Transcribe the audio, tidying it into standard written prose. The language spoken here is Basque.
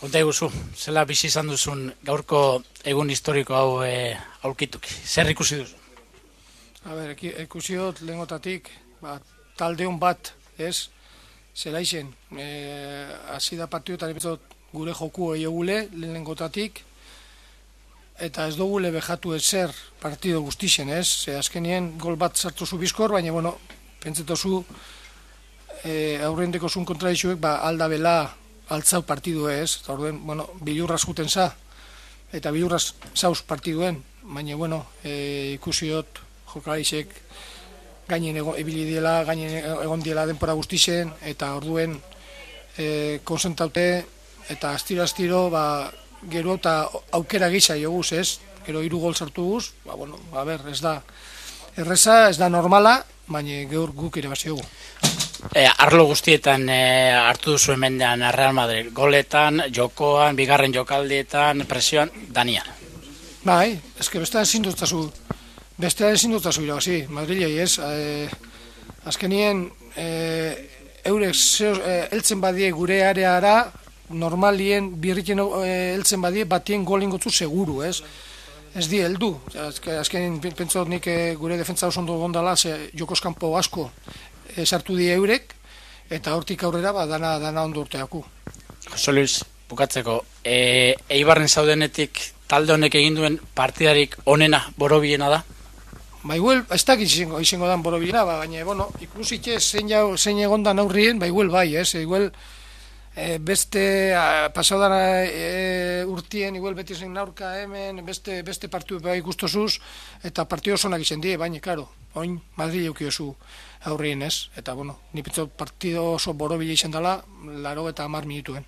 Konta iguzu, zela bizi izan duzun gaurko egun historiko hau aurkituk. Zer ikusi duzu? Ikusi dut lehengotatik, taldeon bat, ez? Zela izen, hasi da partioetan gure joku egule lehengotatik, eta ez dugule behatu ezer partido guztixen, ez? Azkenien gol bat sartu zu bizkor, baina, bueno, pentsetozu aurrendeko zuen kontradixuek aldabela altzau partidu ez, eta orduen, bueno, bilurraz juten za, eta bilurraz zauz partiduen, baina, bueno, ikusi dut jokalaiek gainen ibili diela, gainen egon diela denpora guztixen, eta orduen konzentraute, eta astiro, gero eta aukera gisa joguz, ez? Gero 3 gol sartu guz, bueno, ez da erreza, ez da normala, baina gaur guk irabazi dugu. Arlo guztietan hartu duzu hemendean Real Madrid, goletan, jokoan, bigarren jokaldietan, presioan, Daniel. Bai, eske bestean ezin dutazu irabazi, Madrilei ez, azkenien eurek heltzen badie gure areara, normalien birriken heltzen badie batien gol ingotzu seguru, ez? Ez di heldu, azkenin pentsot nik gure defentsa oso ondo gondala, jokoskampo asko sartu die eurek, eta hortik aurrera dana ondo urteaku. Jose Luis, bukatzeko, Eibarren zaudenetik talde honek egin duen partidarik onena borobilena da? Igual, ez dakit izango dan borobilena, baina, bueno, ikusitxe zein egondan aurrien, bai, ez? Igual, beste pasaudan urtien, igual beti zen aurka hemen, beste partidu ikustosuz, eta partidu osonak izan die, baina, karo, oin Madrid eukiozu aurrien ez, eta, bueno, ni pentsot partidu oso borobila izan dela, 80 minutuen.